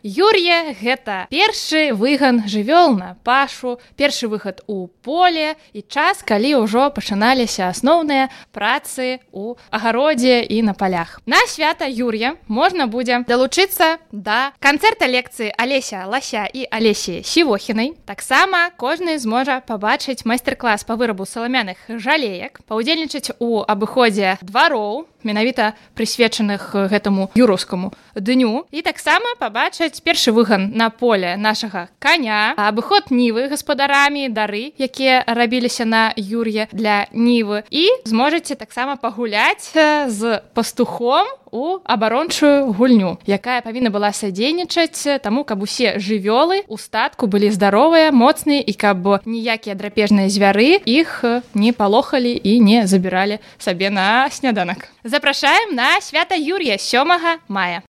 Юр'е гэта першы выган жывёл на пашу, першы выхад у поле і час, калі ўжо пачыналіся асноўныя працы ў агародзе і на палях. На свята Юр'я можна будзе далучыцца да канцэрта лекцыі Алеся Лася і Алесі Сівохінай. Таксама кожны зможа пабачыць майстар-клас па вырабу саламяных жалеек, паўдзельнічаць у абыходзе двароў, менавіта прысвечаных гэтаму юраўскаму дню, і таксама пабачыць першы выган на поле нашага каня, абыход нівы гаспадарамі, дары, якія рабіліся на Юр'е для нівы, і зможаце таксама пагуляць з пастухом у абарончую гульню, якая павінна была садзейнічаць таму, каб усе жывёлы ў статку былі здаровыя, моцныя і каб ніякія драпежныя звяры іх не палохалі і не забіралі сабе на сняданак. Запрашаем на свята Юр'я 7 мая.